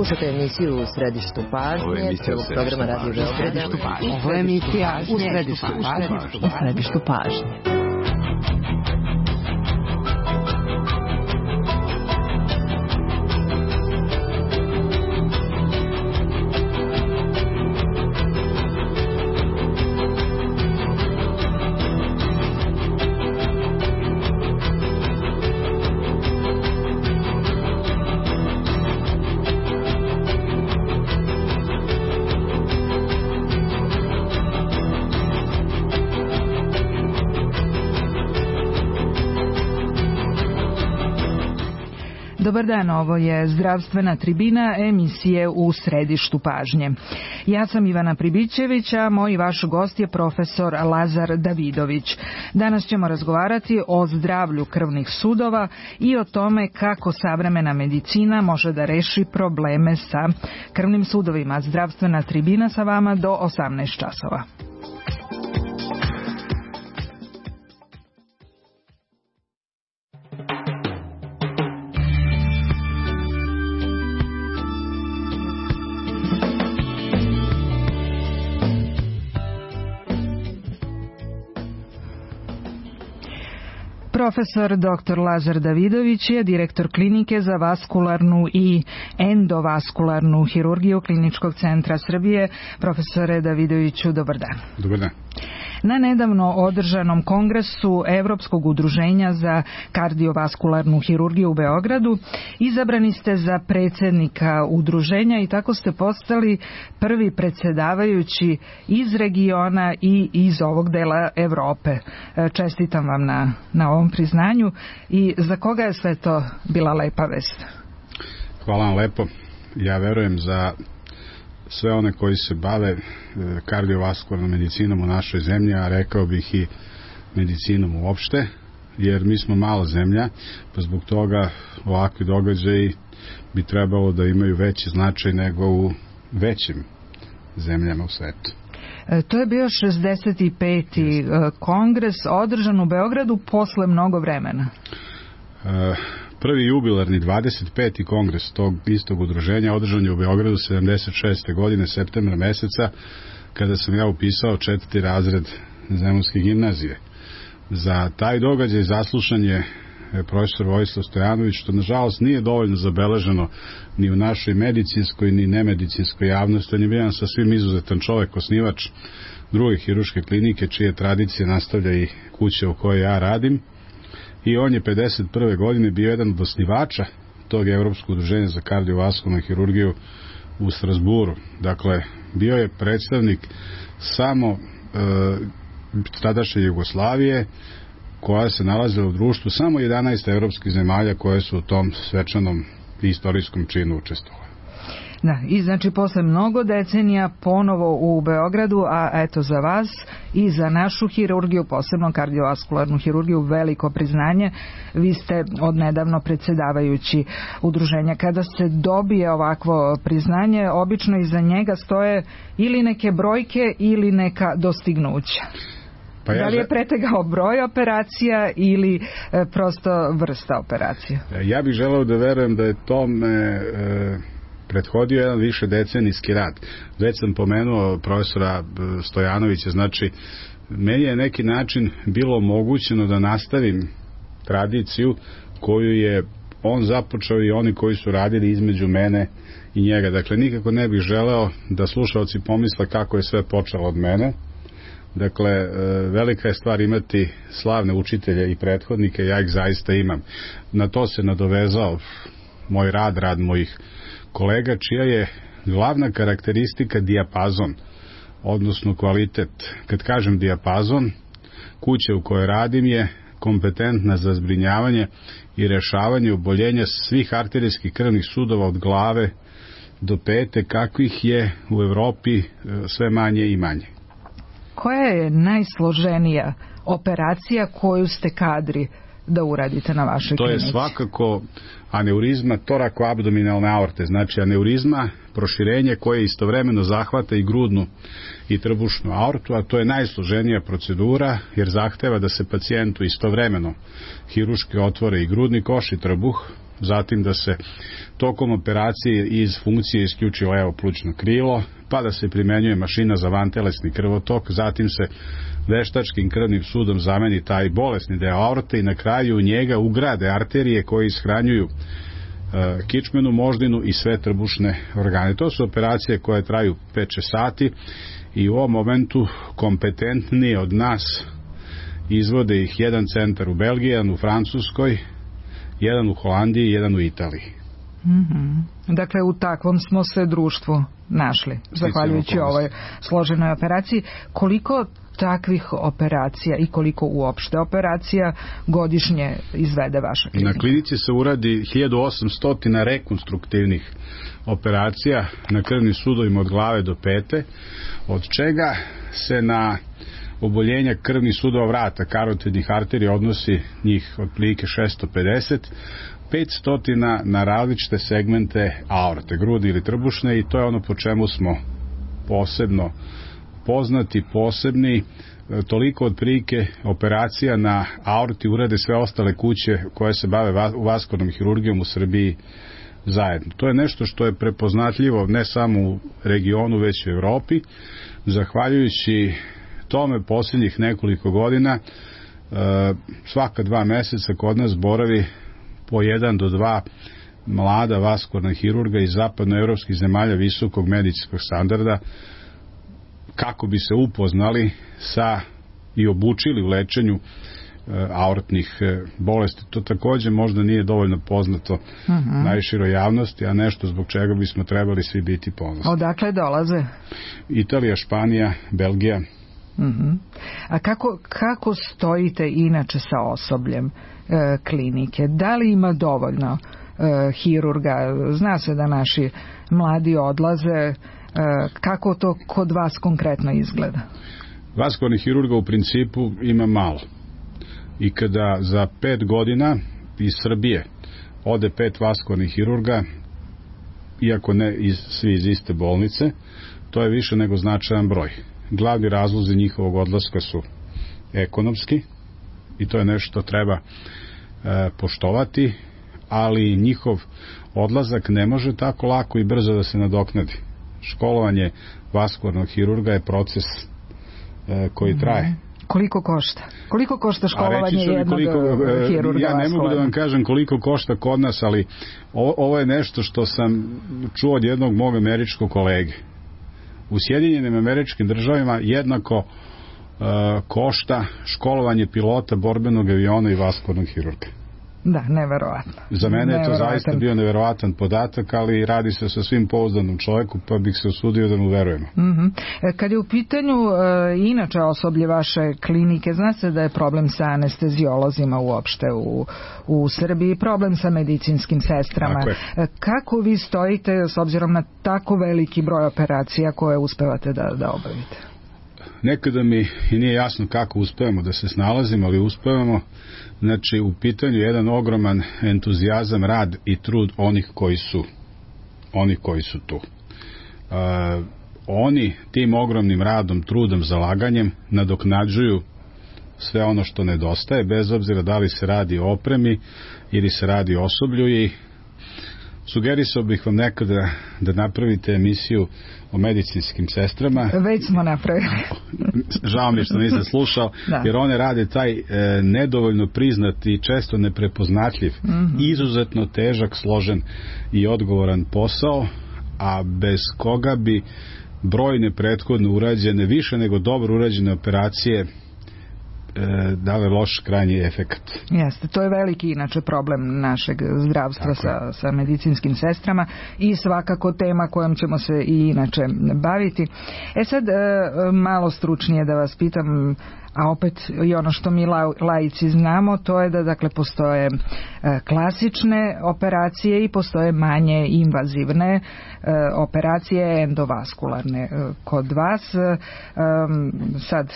Slušate emisiju U središtu pažnje, prvog programa Radio Beograda. Ovo je emisija U središtu pažnje. Dobar dan, ovo je Zdravstvena tribina emisije U središtu pažnje. Ja sam Ivana Pribićević, a moj i vaš gost je profesor Lazar Davidović. Danas ćemo razgovarati o zdravlju krvnih sudova i o tome kako savremena medicina može da reši probleme sa krvnim sudovima. Zdravstvena tribina sa vama do 18 časova. Profesor dr. Lazar Davidović je direktor klinike za vaskularnu i endovaskularnu hirurgiju Kliničkog centra Srbije. Profesore Davidoviću, dobar dan. Dobar dan. Na nedavno održanom kongresu Evropskog udruženja za kardiovaskularnu hirurgiju u Beogradu izabrani ste za predsjednika udruženja i tako ste postali prvi predsjedavajući iz regiona i iz ovog dela Evrope. Čestitam vam na ovom priznanju i za koga je sve to bila lepa vest? Hvala vam lepo. Ja verujem za sve one koji se bave kardiovaskularnom medicinom u našoj zemlji, a rekao bih i medicinom uopšte, jer mi smo mala zemlja, pa zbog toga ovakvi događaji bi trebalo da imaju veći značaj nego u većim zemljama u svetu. To je bio 65. kongres održan u Beogradu posle mnogo vremena. Prvi jubilarni 25. kongres tog istog udruženja održan je u Beogradu 76. godine, septembra meseca, kada sam ja upisao 4. razred Zemunske gimnazije. Za taj događaj zaslušan je profesor Vojislav Stojanović, što nažalost nije dovoljno zabeleženo ni u našoj medicinskoj ni nemedicinskoj javnosti. On je bio sasvim izuzetan čovjek, osnivač druge hirurške klinike, čije tradicije nastavlja i kuća u kojoj ja radim. I on je 51. godine bio jedan od osnivača tog Evropskog udruženja za kardiovaskularnu hirurgiju u Strasburu. Dakle, bio je predstavnik samo tadašnje Jugoslavije, koja se nalazila u društvu samo 11 evropskih zemalja koje su u tom svečanom istorijskom činu učestvovali. Da, i znači posle mnogo decenija ponovo u Beogradu, a eto za vas i za našu hirurgiju, posebno kardiovaskularnu hirurgiju, veliko priznanje. Vi ste odnedavno predsjedavajući udruženja. Kada se dobije ovakvo priznanje, obično iza njega stoje ili neke brojke ili neka dostignuća. Pa da li je pretegao broj operacija ili prosto vrsta operacija? Ja bih želeo da verujem da je tome prethodio jedan više decenijski rad. Već sam pomenuo profesora Stojanovića, znači meni je neki način bilo omogućeno da nastavim tradiciju koju je on započeo i oni koji su radili između mene i njega. Dakle, nikako ne bih želeo da slušalci pomisle kako je sve počelo od mene. Dakle, velika je stvar imati slavne učitelje i prethodnike, ja ih zaista imam. Na to se nadovezao moj rad mojih kolega, čija je glavna karakteristika dijapazon, odnosno kvalitet. Kad kažem dijapazon, kuća u kojoj radim je kompetentna za zbrinjavanje i rešavanje oboljenja svih arterijskih krvnih sudova od glave do pete, kakvih je u Evropi sve manje i manje. Koja je najsloženija operacija koju ste kadri da uradite na vašoj klinici? To je svakako aneurizma torakoabdominalne aorte, znači aneurizma, proširenje koje istovremeno zahvata i grudnu i trbušnu aortu, a to je najsloženija procedura jer zahteva da se pacijentu istovremeno hiruški otvore i grudni koš i trbuh, zatim da se tokom operacije iz funkcije isključi levo plućno krilo, pa da se primenjuje mašina za vantelesni krvotok, zatim se veštačkim krvnim sudom zameni taj bolesni deo aorte i na kraju u njega ugrade arterije koje ishranjuju kičmenu moždinu i sve trbušne organe. To su operacije koje traju 5-6 sati i u ovom momentu kompetentniji od nas izvode ih jedan centar u Belgiji, jedan u Francuskoj, jedan u Holandiji i jedan u Italiji. Dakle, u takvom smo se društvu našli, zahvaljujući ovoj složenoj operaciji. Koliko takvih operacija i koliko uopšte operacija godišnje izvede vaša klinika? Na klinici se uradi 1800 rekonstruktivnih operacija na krvnim sudovima od glave do pete, od čega se na oboljenja krvnih sudova vrata, karotidnih arterija odnosi njih otprilike 650, 500 na različite segmente aorte, grudi ili trbušne, i to je ono po čemu smo posebno poznati, posebni. Toliko otprilike operacija na aorti urade sve ostale kuće koje se bave vaskularnom hirurgijom u Srbiji zajedno. To je nešto što je prepoznatljivo ne samo u regionu, već i u Evropi. Zahvaljujući tome posljednjih nekoliko godina svaka 2 meseca kod nas boravi po 1 do 2 mlada vaskularna hirurga iz zapadnoevropskih zemalja visokog medicinskog standarda, kako bi se upoznali sa i obučili u lečenju aortnih bolesti. To takođe možda nije dovoljno poznato najširoj javnosti, a nešto zbog čega bismo trebali svi biti ponosni. Odakle dolaze? Italija, Španija, Belgija. A kako stojite inače sa osobljem klinike? Da li ima dovoljno hirurga? Zna se da naši mladi odlaze. Kako to kod vas konkretno izgleda? Vaskularnih hirurga u principu ima malo. I kada za 5 godina iz Srbije ode 5 vaskularnih hirurga, iako ne svi iz iste bolnice, to je više nego značajan broj. Glavni razlozi njihovog odlaska su ekonomski i to je nešto što treba poštovati, ali njihov odlazak ne može tako lako i brzo da se nadoknadi. Školovanje vaskularnog hirurga je proces koji traje. Koliko košta? Koliko košta školovanje jednog hirurga? Ja ne mogu da vam kažem koliko košta kod nas, ali ovo je nešto što sam čuo od jednog mog američkog kolege. U Sjedinjenim Američkim Državama jednako košta školovanje pilota borbenog aviona i vaskularnog hirurga. Da, neverovatno. Za mene je to zaista bio neverovatan podatak, ali radi se sa svim pouzdanom čovjeku, pa bih se usudio da mu verujemo. Kad je u pitanju inače osoblje vaše klinike, zna se da je problem sa anestezijolozima uopšte u Srbiji, problem sa medicinskim sestrama. Kako vi stojite s obzirom na tako veliki broj operacija koje uspevate da obavite? Nekada mi i nije jasno kako uspevamo da se snalazimo, ali uspevamo. Znači, u pitanju je jedan ogroman entuzijazam, rad i trud onih koji su tu. Oni tim ogromnim radom, trudom, zalaganjem nadoknađuju sve ono što nedostaje, bez obzira da li se radi o opremi ili se radi o osoblju, i sugerisao bih vam nekada da napravite emisiju o medicinskim sestrama. Već smo napravili. Žao mi što nisam slušao, jer one rade taj nedovoljno priznati i često neprepoznatljiv, izuzetno težak, složen i odgovoran posao, a bez koga bi brojne prethodno urađene, više nego dobro urađene operacije dale loš krajnji efekat. Jeste, to je veliki inače problem našeg zdravstva sa medicinskim sestrama i svakako tema kojom ćemo se i inače baviti. Sad malo stručnije da vas pitam, a opet i ono što mi laici znamo, to je da dakle postoje klasične operacije i postoje manje invazivne operacije, endovaskularne. Kod vas sad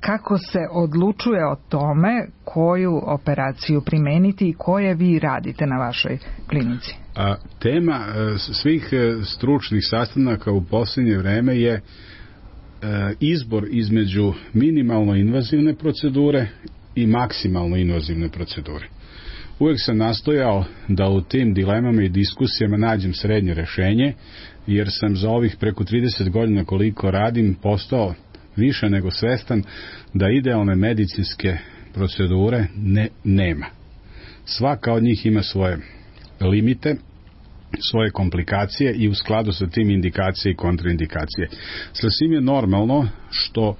kako se odlučuje o tome koju operaciju primeniti i koje vi radite na vašoj klinici? Tema svih stručnih sastanaka u posljednje vreme je izbor između minimalno invazivne procedure i maksimalno invazivne procedure. uvek sam nastojao da u tim dilemama i diskusijama nađem srednje rešenje, jer sam za ovih preko 30 godina koliko radim postao više nego svestan da idealne medicinske procedure nema. Svaka od njih ima svoje limite, svoje komplikacije i u skladu sa tim indikacije i kontraindikacije. Sasvim je normalno što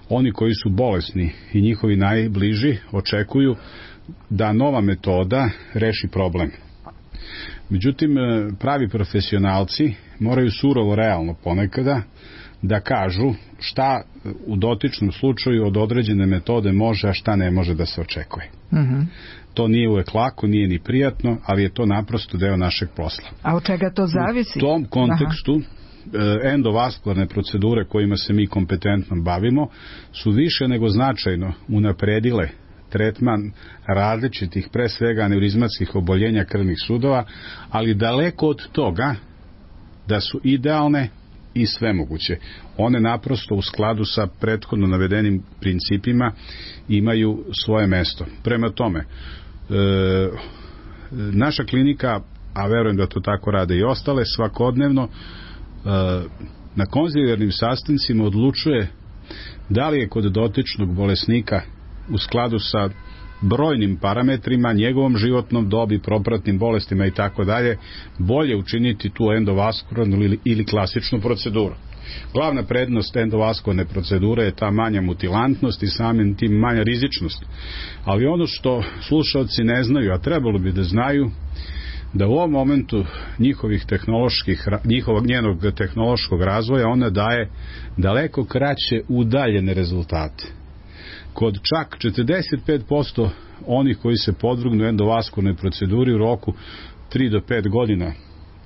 oni koji su bolesni i njihovi najbliži očekuju da nova metoda reši problem. Međutim, pravi profesionalci moraju surovo realno ponekada da kažu šta u dotičnom slučaju od određene metode može, a šta ne može da se očekuje. To nije uvek lako, nije ni prijatno, ali je to naprosto deo našeg posla. A od čega to zavisi? U tom kontekstu endovaskularne procedure kojima se mi kompetentno bavimo su više nego značajno unapredile tretman različitih, pre svega aneurizmatskih oboljenja krvnih sudova, ali daleko od toga da su idealne i svemoguće. One naprosto u skladu sa prethodno navedenim principima imaju svoje mesto. Prema tome, naša klinika, a verujem da to tako rade i ostale, svakodnevno na konzilijarnim sastancima odlučuje da li je kod dotičnog bolesnika u skladu sa brojnim parametrima, njegovom životnom dobi, propratnim bolestima i tako dalje, bolje učiniti tu endovaskularnu ili klasičnu proceduru. Glavna prednost endovaskularne procedure je ta manja mutilantnost i samim tim manja rizičnost. Ali ono što slušalci ne znaju, a trebalo bi da znaju, da u ovom momentu njenog tehnološkog razvoja ona daje daleko kraće udaljene rezultate. Kod čak 45% onih koji se podvrgnu endovaskularnoj proceduri u roku 3 do 5 godina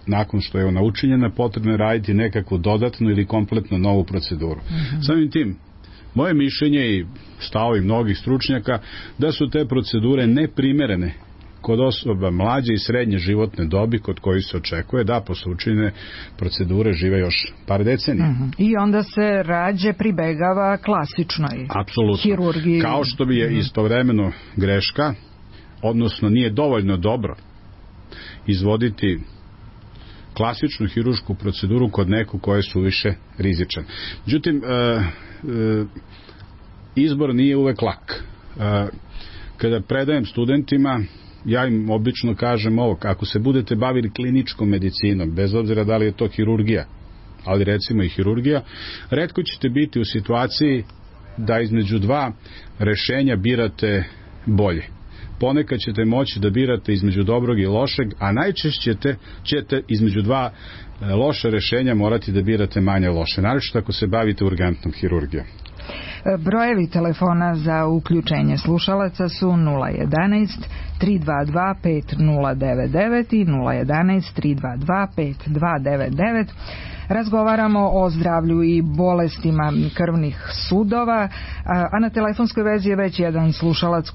nakon što je ona učinjena, potrebno je raditi nekakvu dodatnu ili kompletno novu proceduru. Samim tim, moje mišljenje i stavovi mnogih stručnjaka da su te procedure neprimerene kod osoba mlađe i srednje životne dobi kod kojih se očekuje da posle učinjene procedure žive još par decenija. I onda se rađe pribegava klasičnoj hirurgiji. Kao što bi je istovremeno greška, odnosno nije dovoljno dobro izvoditi klasičnu hiruršku proceduru kod nekog koje je suviše rizičan. Međutim, izbor nije uvek lak. Kada predajem studentima, ja im obično kažem ovo, ako se budete bavili kliničkom medicinom, bez obzira da li je to hirurgija, ali recimo i hirurgija, retko ćete biti u situaciji da između dva rešenja birate bolje. Ponekad ćete moći da birate između dobrog i lošeg, a najčešće ćete između dva loša rešenja morati da birate manje loše, naročito ako se bavite urgentnom hirurgijom. Brojevi telefona za uključenje slušalaca su 011 322 5099 i 011 322 5299. Razgovaramo o zdravlju i bolestima krvnih sudova, a na telefonskoj vezi je već jedan slušalac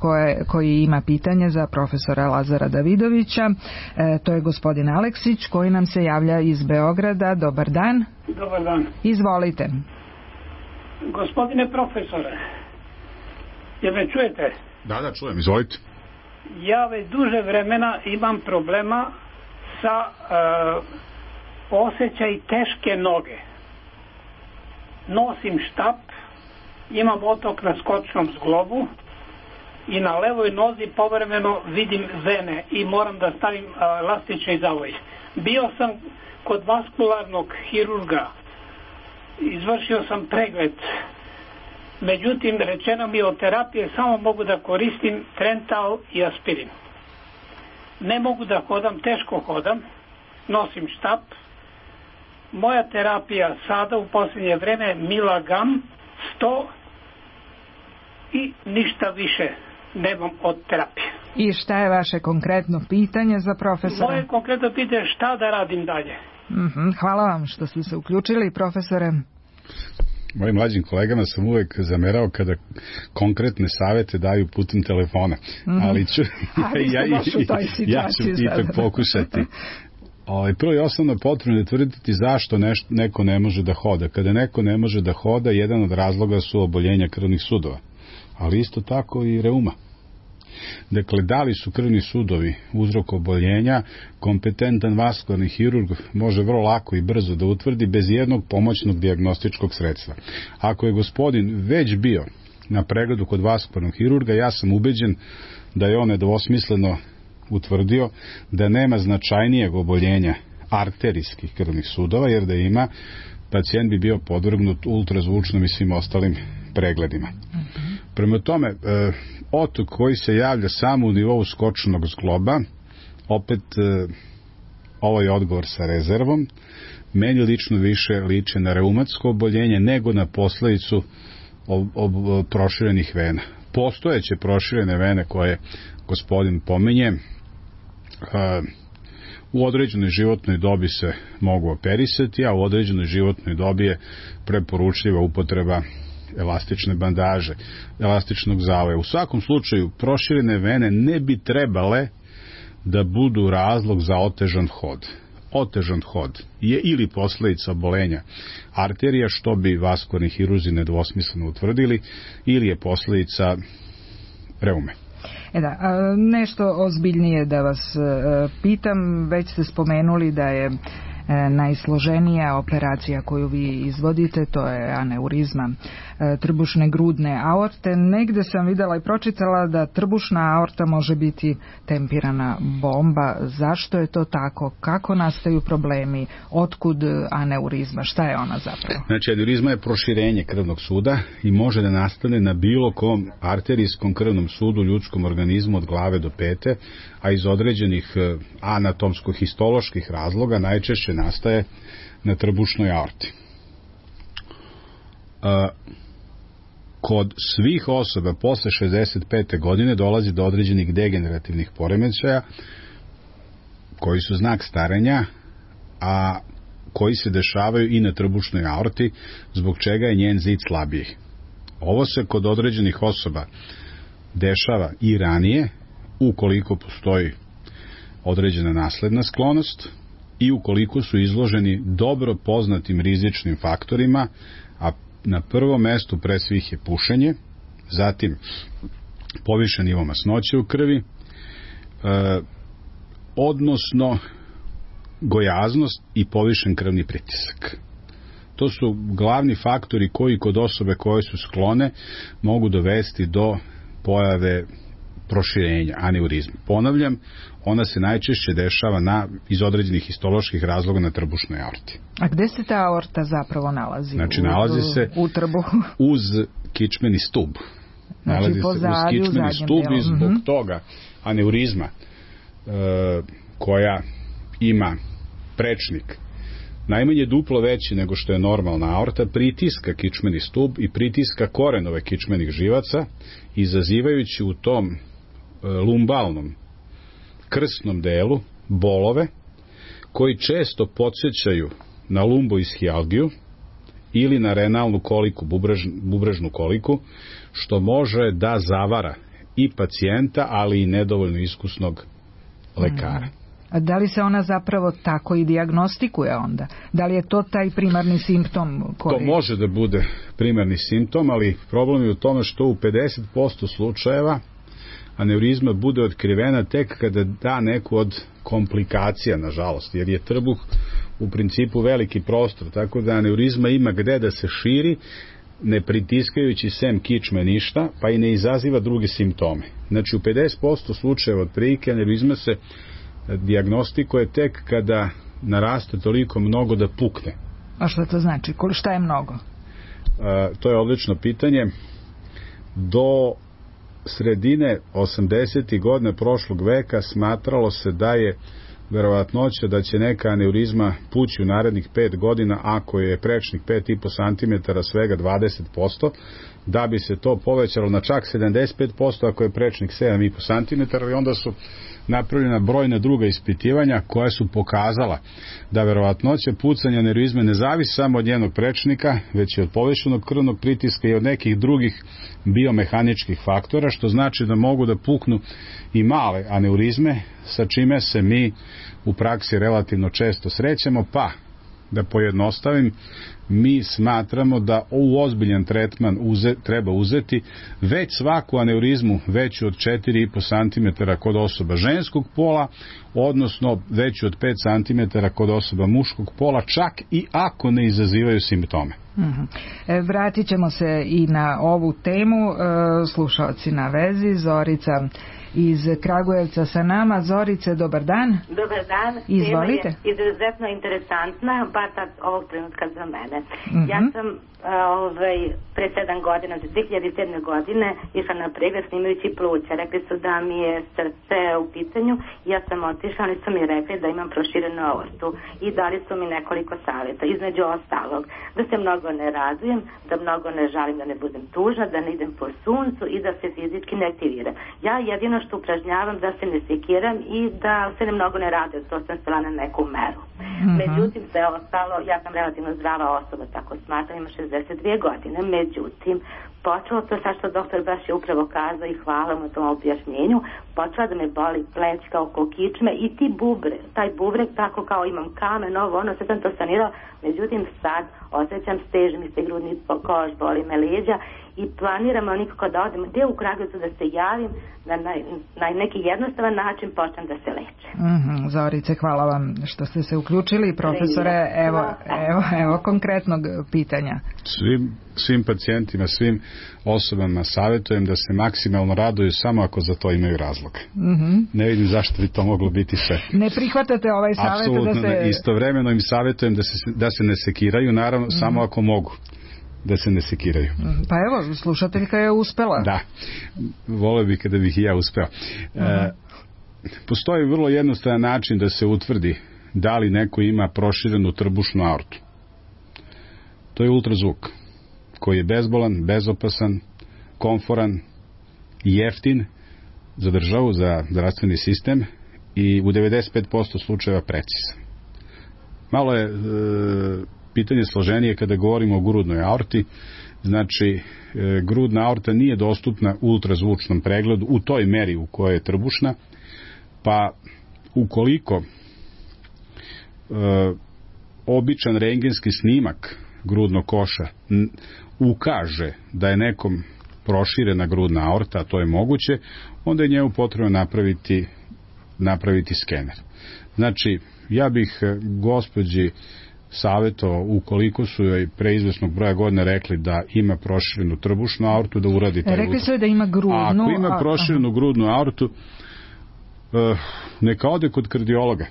koji ima pitanje za profesora Lazara Davidovića. To je gospodin Aleksić koji nam se javlja iz Beograda. Dobar dan. Dobar dan. Izvolite. Gospodine profesore, jel me čujete? Da, čujem, izvolite. Ja već duže vremena imam problema sa osjećaj teške noge. Nosim štap, imam otok na skočnom zglobu i na levoj nozi povremeno vidim vene i moram da stavim elastični zavoj. Bio sam kod vaskularnog hirurga, izvršio sam pregled, međutim rečeno mi od terapije samo mogu da koristim Trental i aspirin. Ne mogu da hodam, teško hodam, nosim štap. Moja terapija sada u posljednje vreme Milagam 100 i ništa više nemam od terapije. I šta je vaše konkretno pitanje za profesora? Moje konkretno pitanje je šta da radim dalje. Hvala vam što ste se uključili, profesore. Mojim mlađim kolegama sam uvek zamerao kada konkretne savete daju putem telefona. Ali ću ja ću ipak pokušati. Prvo i osnovno potrebno je tvrditi zašto neko ne može da hoda. Kada neko ne može da hoda, jedan od razloga su oboljenja krvnih sudova, ali isto tako i reuma. Dakle, da li su krvni sudovi uzrok oboljenja, kompetentan vaskularni hirurg može vrlo lako i brzo da utvrdi bez jednog pomoćnog dijagnostičkog sredstva. Ako je gospodin već bio na pregledu kod vaskularnog hirurga, ja sam ubeđen da je on nedvosmisleno utvrdio da nema značajnijeg oboljenja arterijskih krvnih sudova, jer da ima, pacijent bi bio podvrgnut ultrazvučnom i svim ostalim pregledima. Prema tome, otok koji se javlja samo u nivou skočnog zgloba, opet ovaj odgovor sa rezervom, meni lično više liče na reumatsko oboljenje nego na posledicu proširenih vena. Postojeće proširene vene koje gospodin pominje, u određenoj životnoj dobi se mogu operisati, a u određenoj životnoj dobi je preporučljiva upotreba elastične bandaže, elastičnog zavoja. U svakom slučaju, proširene vene ne bi trebale da budu razlog za otežan hod. Otežan hod je ili posledica obolenja arterija, što bi vaskularni hirurzi nedvosmisleno utvrdili, ili je posledica reume. Nešto ozbiljnije da vas pitam, već ste spomenuli da je najsloženija operacija koju vi izvodite, to je aneurizma trbušne grudne aorte. Negde sam videla i pročitala da trbušna aorta može biti tempirana bomba. Zašto je to tako? Kako nastaju problemi? Otkud aneurizma? Šta je ona zapravo? Znači, aneurizma je proširenje krvnog suda i može da nastane na bilo kom arterijskom krvnom sudu u ljudskom organizmu od glave do pete, a iz određenih anatomsko-histoloških razloga najčešće nastaje na trbušnoj aorti. Kod svih osoba posle 65. godine dolazi do određenih degenerativnih poremećaja koji su znak starenja, a koji se dešavaju i na trbušnoj aorti, zbog čega je njen zid slabiji. Ovo se kod određenih osoba dešava i ranije, ukoliko postoji određena nasledna sklonost i ukoliko su izloženi dobro poznatim rizičnim faktorima, a na prvom mestu pre svih je pušenje, zatim povišen nivo masnoće u krvi, odnosno gojaznost i povišen krvni pritisak. To su glavni faktori koji kod osobe koje su sklone mogu dovesti do pojave proširenja, aneurizme. Ponavljam, ona se najčešće dešava iz određenih histoloških razloga na trbušnoj aorti. A gde se ta aorta zapravo nalazi? Znači, nalazi se u trbuhu? Uz kičmeni stub. Nalazi se uz kičmeni stub i zbog toga aneurizma koja ima prečnik najmanje duplo veći nego što je normalna aorta, pritiska kičmeni stub i pritiska korenove kičmenih živaca, izazivajući u tom lumbalnom krsnom delu bolove koji često podsjećaju na lumboishialgiju ili na renalnu koliku, bubrežnu koliku, što može da zavara i pacijenta, ali i nedovoljno iskusnog lekara. A da li se ona zapravo tako i dijagnostikuje onda? Da li je to taj primarni simptom? To može da bude primarni simptom, ali problem je u tome što u 50% slučajeva aneurizma bude otkrivena tek kada da neku od komplikacija, nažalost, jer je trbuh u principu veliki prostor, tako da aneurizma ima gde da se širi, ne pritiskajući sem kičme ništa, pa i ne izaziva druge simptome. Znači, u 50% slučajeva otprilike aneurizma se dijagnostikuje tek kada naraste toliko mnogo da pukne. A što to znači? Šta je mnogo? To je odlično pitanje. Do sredine 80. godina prošlog veka smatralo se da je verovatnoća da će neka aneurizma pući u narednih 5 godina ako je prečnik 5,5 cm svega 20%, da bi se to povećalo na čak 75% ako je prečnik 7,5 cm, i onda su napravljena brojna druga ispitivanja koja su pokazala da verovatnoća pucanja aneurizme ne zavisi samo od njenog prečnika, već i od povišenog krvnog pritiska i od nekih drugih biomehaničkih faktora, što znači da mogu da puknu i male aneurizme, sa čime se mi u praksi relativno često srećemo, pa da pojednostavim, mi smatramo da u ozbiljan tretman treba uzeti već svaku aneurizmu veću od 4,5 cm kod osoba ženskog pola, odnosno veću od 5 cm kod osoba muškog pola, čak i ako ne izazivaju simptome. Vratit ćemo se i na ovu temu. Slušalci na vezi, Zorica iz Kragujevca sa nama. Zorice, dobar dan. Dobar dan. Izvolite. Tema je izuzetno interesantna, bar tad ovog trenutka za mene. Ja sam pre 7 godina, 2007. godine, išla na pregled snimajući pluća. Rekli su da mi je srce u pitanju. Ja sam otišla, oni su mi rekli da imam proširenu aortu i dali su mi nekoliko savjeta. Između ostalog, da se mnogo ne radujem, da mnogo ne žalim, da ne budem tužna, da ne idem po suncu i da se fizički ne aktiviram. Ja jedino što upražnjavam da se ne sekiram i da se ne mnogo ne radujem, to sam stala na neku meru. Međutim, sve ostalo, ja sam relativno zdrava osoba, tako smatram, ima 62 godine. Međutim, počelo to sad što doktor baš je upravo kazao i hvala mu tom objašnjenju, počela da me boli plećka oko kičme i taj bubreg, tako kao imam kamen, sve sam to sanirala. Međutim, sad osjećam steže mi se grudni koš, boli me leđa i planiram nikako da odem gdje u Kragujevcu da se javim, da na neki jednostavan način počnem da se leče. Zorice, hvala vam što ste se uključili. Profesore, evo konkretnog pitanja. Svim pacijentima, svim osobama savjetujem da se maksimalno raduju samo ako za to imaju razlog. Ne vidim zašto bi to moglo biti sve. Ne prihvatate ovaj savjet? Apsolutno da se... ne. Istovremeno im savjetujem da se ne sekiraju, naravno samo ako mogu da se ne sekiraju. Pa evo, slušateljka je uspela. Da, voleo bih kada bih i ja uspeo. Postoji vrlo jednostavan način da se utvrdi da li neko ima proširenu trbušnu aortu. To je ultrazvuk, koji je bezbolan, bezopasan, komforan, jeftin za državu, za zdravstveni sistem i u 95% slučajeva precizan. Malo je pitanje složenije kada govorimo o grudnoj aorti. Znači, grudna aorta nije dostupna u ultrazvučnom pregledu u toj meri u kojoj je trbušna, pa ukoliko običan rentgenski snimak grudnog koša ukaže da je nekom proširena grudna aorta, a to je moguće, onda je njemu potrebno napraviti skener. Znači, ja bih gospođi savjetovao, ukoliko su joj pre izvesnog broja godina rekli da ima proširenu trbušnu aortu, da uradi taj Rekli su joj da ima grudnu. A ako ima proširenu grudnu aortu, neka ode kod kardiologa,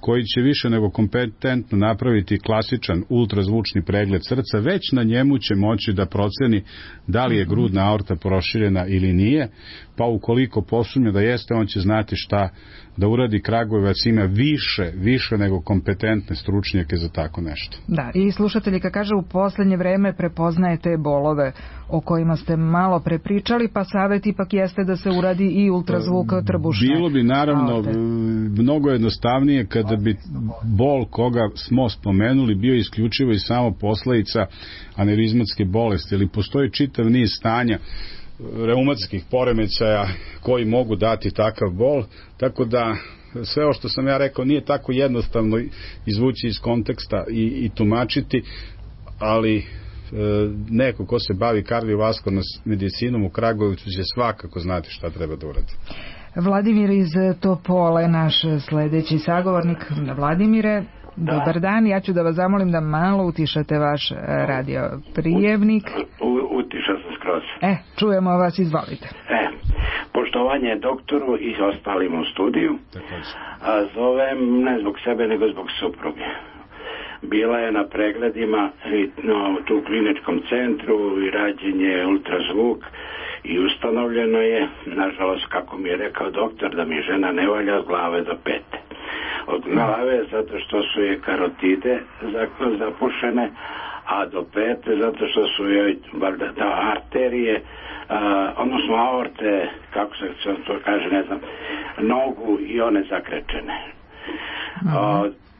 koji će više nego kompetentno napraviti klasičan ultrazvučni pregled srca, već na njemu će moći da proceni da li je grudna aorta proširena ili nije, pa ukoliko posumnja da jeste, on će znati šta da uradi. Kragujevac ima više nego kompetentne stručnjake za tako nešto. Da, i slušateljka kaže, u poslednje vreme prepoznaje te bolove o kojima ste malo prepričali, pa savjet ipak jeste da se uradi i ultrazvuk trbušne. Bilo bi naravno mnogo jednostavnije kada bi bol koga smo spomenuli bio isključivo i samo posledica aneurizmatske bolesti, ili postoji čitav niz stanja reumatskih poremećaja koji mogu dati takav bol, tako da sve ovo što sam ja rekao nije tako jednostavno izvući iz konteksta i tumačiti, ali neko ko se bavi kardiovaskularnom medicinom u Kragujevcu će svakako znati šta treba da uradi. Vladimir iz Topole, naš sledeći sagovornik. Vladimire, dobar dan, ja ću da vas zamolim da malo utišate vaš radio prijemnik. Utišao sam skroz. Čujemo vas, izvolite. Poštovanje doktoru i ostalim u studiju. Zovem ne zbog sebe, nego zbog supruge. Bila je na pregledima tu u kliničkom centru i rađen je ultrazvuk i ustanovljeno je, nažalost, kako mi je rekao doktor, da mi žena ne valja od glave do pete. Od glave zato što su je karotide zapušene, a do pete zato što su joj arterije, odnosno aorte, kako se to kaže, ne znam, nogu i one zakrečene.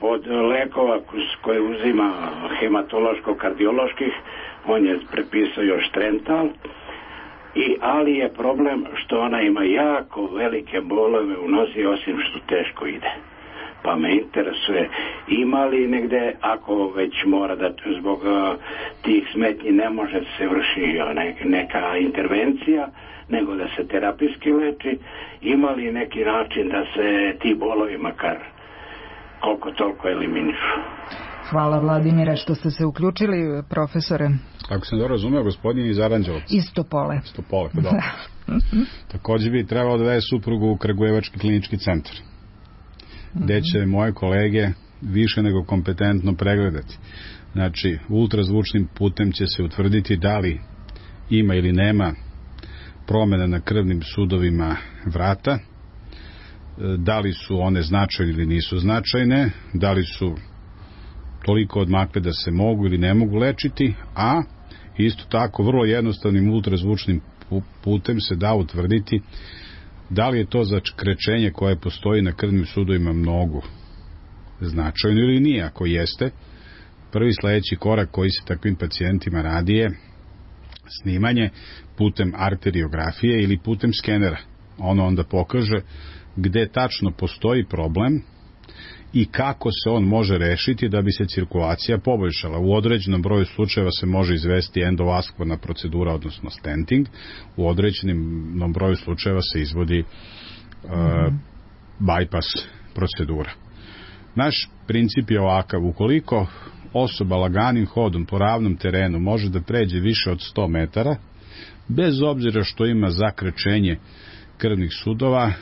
Od lekova koje uzima hematološko-kardioloških, on je prepisao još Trental, ali je problem što ona ima jako velike bolove u nozi, osim što teško ide. pa me interesuje ima li negde, ako već mora da zbog tih smetnji ne može se vrši neka intervencija, nego da se terapijski leči, ima li neki način da se ti bolovi makar koliko toliko eliminišu? Hvala Vladimire što ste se uključili, profesore. Ako sam dobro razumeo, gospodin iz Aranđelovca. Iz Topole. Pa dobro. Također bi trebalo da daje suprugu u Kragujevački klinički centar, gde će moje kolege više nego kompetentno pregledati. Znači, ultrazvučnim putem će se utvrditi da li ima ili nema promjena na krvnim sudovima vrata, da li su one značajne ili nisu značajne, da li su toliko odmakle da se mogu ili ne mogu lečiti, a isto tako vrlo jednostavnim ultrazvučnim putem se da utvrditi da li je to zakrečenje koje postoji na krvnim sudovima mnogo značajno ili nije. Ako jeste, prvi sledeći korak koji se takvim pacijentima radi je snimanje putem arteriografije ili putem skenera. Ono onda pokaže gde tačno postoji problem i kako se on može rešiti da bi se cirkulacija poboljšala. U određenom broju slučajeva se može izvesti endovaskularna procedura, odnosno stenting. U određenom broju slučajeva se izvodi bypass procedura. Naš princip je ovakav: ukoliko osoba laganim hodom po ravnom terenu može da pređe više od 100 metara, bez obzira što ima zakrečenje krvnih sudova,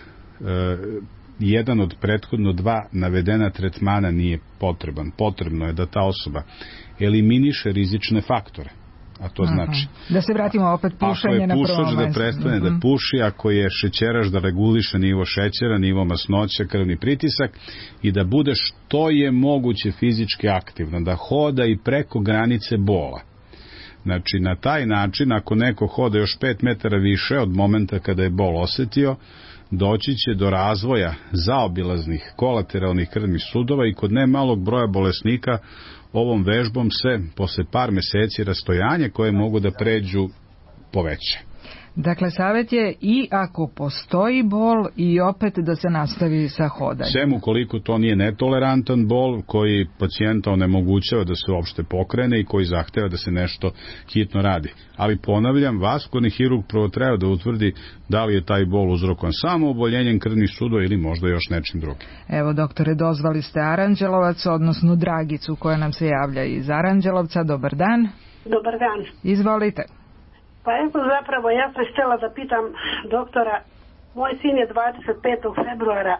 jedan od prethodno dva navedena tretmana nije potreban. Potrebno je da ta osoba eliminiše rizične faktore. A to znači da se vratimo opet pušenje na prvo mesto. Ako je pušač, da prestane da puši, ako je šećeraš, da reguliše nivo šećera, nivo masnoća, krvni pritisak i da bude što je moguće fizički aktivna, da hoda i preko granice bola. Znači, na taj način, ako neko hoda još 5 metara više od momenta kada je bol osetio, doći će do razvoja zaobilaznih kolateralnih krvnih sudova i kod ne malog broja bolesnika ovom vežbom se posle par meseci rastojanje koje mogu da pređu poveće. Dakle, savjet je i ako postoji bol i opet da se nastavi sa hodanjem. Sem ukoliko to nije netolerantan bol koji pacijenta onemogućava da se uopšte pokrene i koji zahteva da se nešto hitno radi. Ali ponavljam, vaskularni hirurg prvo treba da utvrdi da li je taj bol uzrokovan samo oboljenjem krvnih sudova ili možda još nečim drugim. Evo, doktore, dozvali ste Aranđelovac, odnosno Dragicu koja nam se javlja iz Aranđelovca. Dobar dan. Dobar dan. Izvolite. Pa evo, zapravo ja sam htjela da pitam doktora, moj sin je 25. februara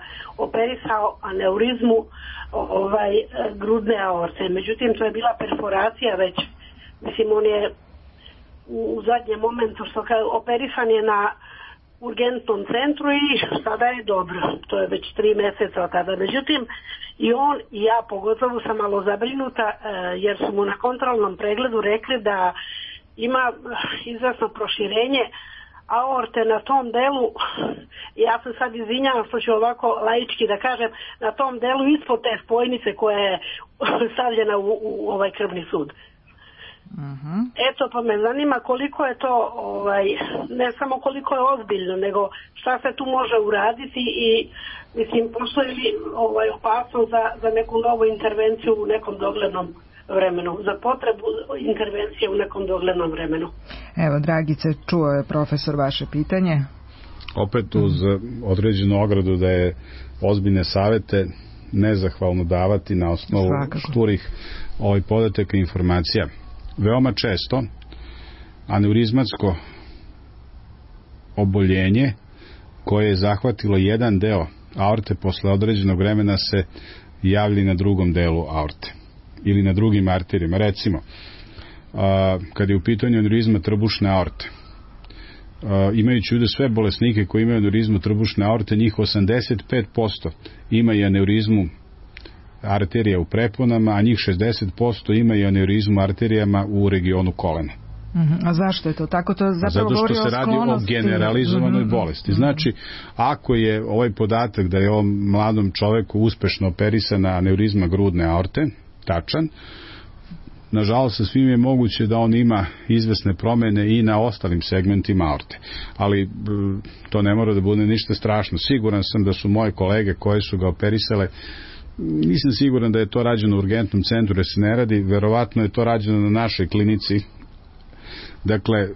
operisao aneurizmu grudne aorte, međutim to je bila perforacija već, mislim on je u zadnjem momentu što operisan je na urgentnom centru i sada je dobro, to je već 3 mjeseca od tada, međutim i on i ja pogotovo sam malo zabrinuta jer su mu na kontrolnom pregledu rekli da ima izvrsno proširenje aorte na tom delu, ja se sad izvinjavam što ću ovako laički da kažem, na tom delu ispod te spojnice koja je stavljena u ovaj krvni sud. Eto, pa me zanima koliko je to, ne samo koliko je ozbiljno, nego šta se tu može uraditi i mislim, postoji li opasnost za neku novu intervenciju u nekom doglednom vremenu, za potrebu intervencije u nekom doglednom vremenu. Evo, Dragice, čuo je profesor vaše pitanje. Opet uz određenu ogradu da je ozbiljne savete nezahvalno davati na osnovu šturih podataka i informacija. Veoma često aneurizmatsko oboljenje koje je zahvatilo jedan deo aorte posle određenog vremena se javlja na drugom delu aorte ili na drugim arterijama. Recimo, kad je u pitanju aneurizma trbušne aorte, imajući u vidu sve bolesnike koji imaju aneurizmu trbušne aorte, njih 85% ima i aneurizmu arterija u preponama, a njih 60% ima i aneurizmu arterijama u regionu kolena. A zašto je to tako? To zapravo zato što se radi o generalizovanoj bolesti. Znači, ako je ovaj podatak da je ovom mladom čoveku uspešno operisana aneurizma grudne aorte tačan, nažalost sa svim je moguće da on ima izvesne promene i na ostalim segmentima aorte. Ali to ne mora da bude ništa strašno. Siguran sam da su moje kolege koje su ga operisale Nisam siguran da je to rađeno u urgentnom centru, jer se ne radi, verovatno je to rađeno na našoj klinici. Dakle,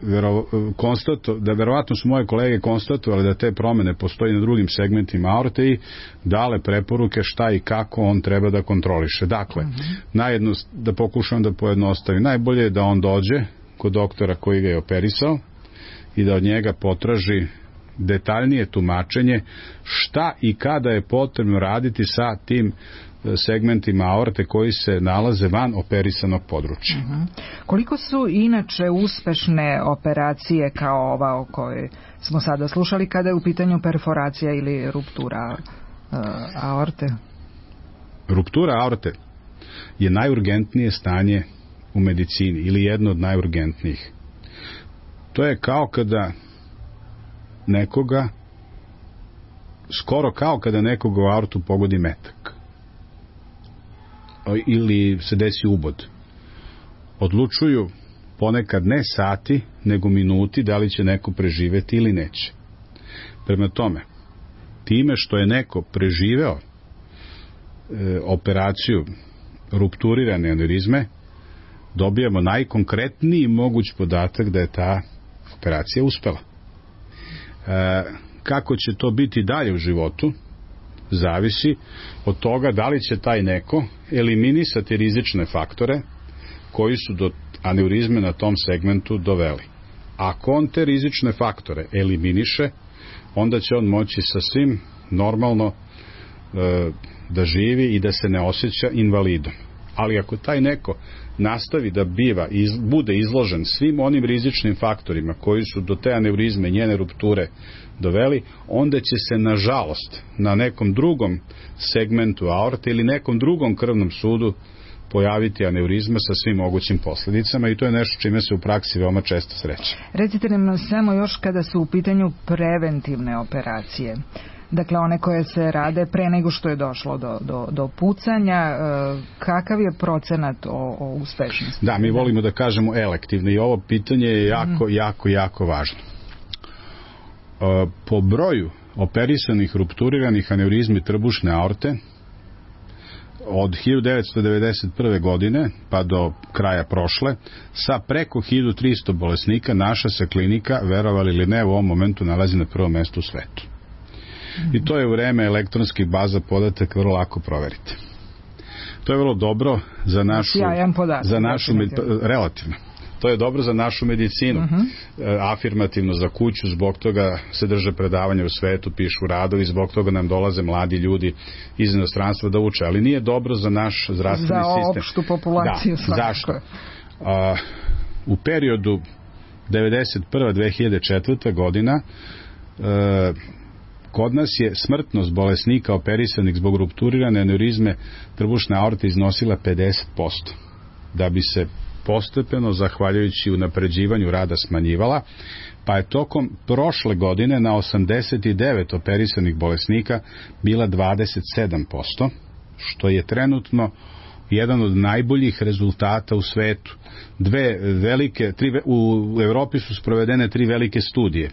verovatno su moje kolege konstatovali da te promene postoji na drugim segmentima aorte i dale preporuke šta i kako on treba da kontroliše. Dakle, da pokušam da pojednostavim, najbolje je da on dođe kod doktora koji ga je operisao i da od njega potraži detaljnije tumačenje šta i kada je potrebno raditi sa tim segmentima aorte koji se nalaze van operisanog područja. Koliko su inače uspešne operacije kao ova o kojoj smo sada slušali kada je u pitanju perforacija ili ruptura aorte? Ruptura aorte je najurgentnije stanje u medicini ili jedno od najurgentnijih. To je kao kada skoro kao kada nekoga u aortu pogodi metak ili se desi ubod. Odlučuju ponekad ne sati, nego minuti da li će neko preživeti ili neće. Prema tome, time što je neko preživeo operaciju rupturirane aneurizme, dobijamo najkonkretniji moguć podatak da je ta operacija uspela. Kako će to biti dalje u životu, zavisi od toga da li će taj neko eliminisati rizične faktore koji su do aneurizme na tom segmentu doveli. Ako on te rizične faktore eliminiše, onda će on moći sasvim normalno da živi i da se ne osjeća invalidom. Ali ako taj neko nastavi da bude izložen svim onim rizičnim faktorima koji su do te aneurizme i njene rupture doveli, onda će se nažalost na nekom drugom segmentu aorte ili nekom drugom krvnom sudu pojaviti aneurizma sa svim mogućim posljedicama i to je nešto čime se u praksi veoma često sreće. Recite nam samo još kada su u pitanju preventivne operacije. Dakle, one koje se rade pre nego što je došlo do pucanja, kakav je procenat o uspešnosti? Da, mi volimo da kažemo elektivne i ovo pitanje je jako važno. Po broju operisanih rupturiranih aneurizmi trbušne aorte od 1991. godine pa do kraja prošle, sa preko 1300 bolesnika, naša se klinika, verovali ili ne, u ovom momentu nalazi na prvom mestu u svetu. I to je u vreme elektronskih baza podataka vrlo lako proveriti. To je vrlo dobro za našu, relativno. To je dobro za našu medicinu, afirmativno za kuću, zbog toga se drže predavanja u svetu, pišu radovi, zbog toga nam dolaze mladi ljudi iz inostranstva da uče, ali nije dobro za naš zdravstveni sistem. Za opštu populaciju. Da, zašto? U periodu 1991-2004. godina kod nas je smrtnost bolesnika operisanih zbog rupturirane aneurizme trbušne aorte iznosila 50%, da bi se postepeno, zahvaljujući unapređivanju rada, smanjivala, pa je tokom prošle godine na 89 operisanih bolesnika bila 27%, što je trenutno jedan od najboljih rezultata u svetu. U Evropi su sprovedene 3 velike studije.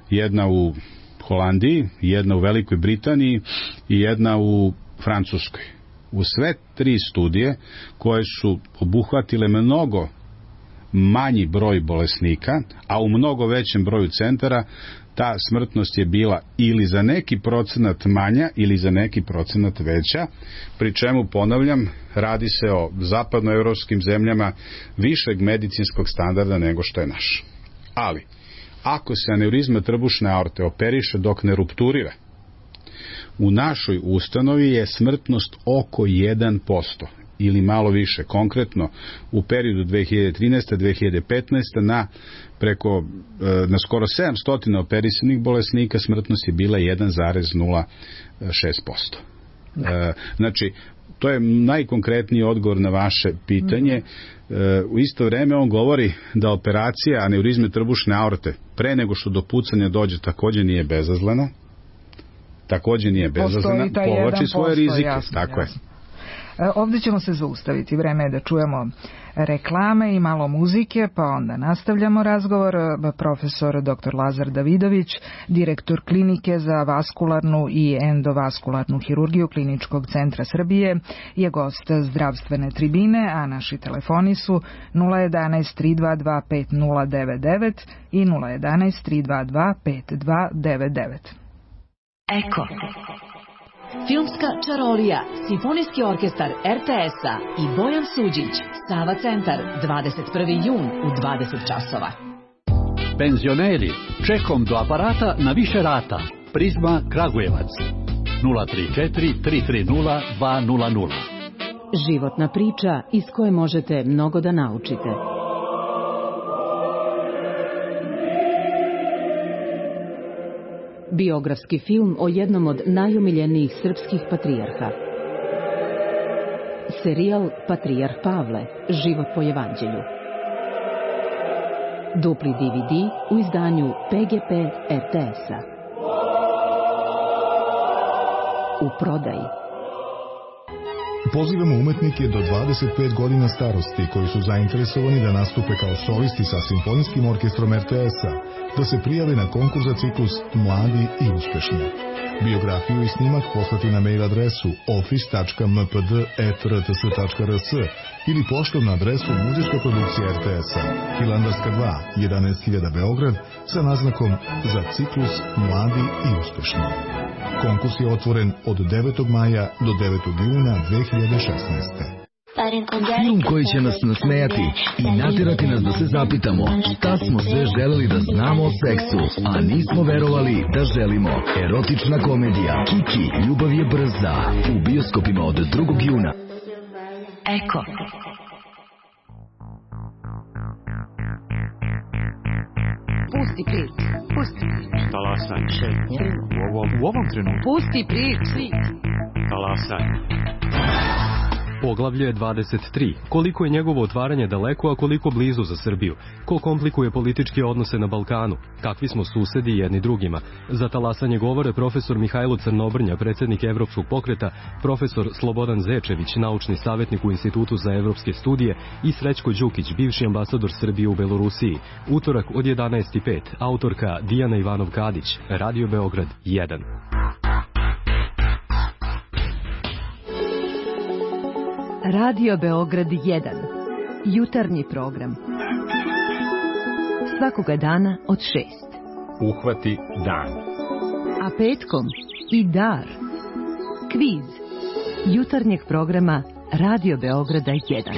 Jedna u Holandiji, jedna u Velikoj Britaniji i jedna u Francuskoj. U sve 3 studije koje su obuhvatile mnogo manji broj bolesnika, a u mnogo većem broju centara, ta smrtnost je bila ili za neki procenat manja ili za neki procenat veća, pri čemu, ponavljam, radi se o zapadnoevropskim zemljama višeg medicinskog standarda nego što je naš. Ali, ako se aneurizma trbušne aorte operiše dok ne rupturira, u našoj ustanovi je smrtnost oko 1% ili malo više. Konkretno, u periodu 2013-2015 na skoro 700 operisanih bolesnika smrtnost je bila 1,06%. Znači, to je najkonkretniji odgovor na vaše pitanje. U isto vreme on govori da operacija aneurizme trbušne aorte pre nego što do pucanja dođe također nije bezazlena. Povlači svoje rizike. Jasno, tako jasno. Ovdje ćemo se zaustaviti, vreme je da čujemo reklame i malo muzike, pa onda nastavljamo razgovor. Profesor dr. Lazar Davidović, direktor klinike za vaskularnu i endovaskularnu hirurgiju Kliničkog centra Srbije, je gost zdravstvene tribine, a naši telefoni su 011 322 5099 i 011 322 5299. Eko. Filmska čarolija, Simfonijski orkestar RTS-a i Bojan Suđić, Sava centar, 21. jun u 20 časova. Penzioneri, čekom do aparata na više rata. Prizma Kragujevac, 034 330 200. Životna priča iz koje možete mnogo da naučite. Biografski film o jednom od najomiljenijih srpskih patrijarha. Serijal Patrijarh Pavle, život po evanđelju. Dupli DVD u izdanju PGP RTS-a. U prodaji. Pozivamo umetnike do 25 godina starosti koji su zainteresovani da nastupe kao solisti sa Simfonijskim orkestrom RTS-a, da se prijave na konkurs za ciklus Mladi i uspešni. Biografiju i snimak poslati na mail adresu office.mpd@rts.rs ili poštom na adresu Muzejska produkcija RTS-a, Hilandarska 2, 11.000 Beograd, sa naznakom za ciklus Mladi i uspešni. Konkurs je otvoren od 9. maja do 9. juna 2016. Film koji će nas nasmejati i naterati nas da se zapitamo šta smo sve želeli da znamo o seksu, a nismo verovali da želimo. Erotična komedija Kiki, ljubav je brza, u bioskopima od 2. juna. Eko. Pusti prič. Talasanje. U ovom trenutku. Pusti prič. Talasanje. Poglavlje 23. Koliko je njegovo otvaranje daleko, a koliko blizu za Srbiju? Ko komplikuje političke odnose na Balkanu? Kakvi smo susedi jedni drugima? Za talasanje govore profesor Mihajlo Crnobrnja, predsjednik Evropskog pokreta, profesor Slobodan Zečević, naučni savjetnik u Institutu za evropske studije i Srećko Đukić, bivši ambasador Srbije u Belorusiji. Utorak od 11:05. Autorka Dijana Ivanov-Kadić. Radio Beograd 1. Radio Beograd 1. Jutarnji program. Svakoga dana od 6. Uhvati dan. A petkom i dar. Kviz. Jutarnjeg programa Radio Beograda 1.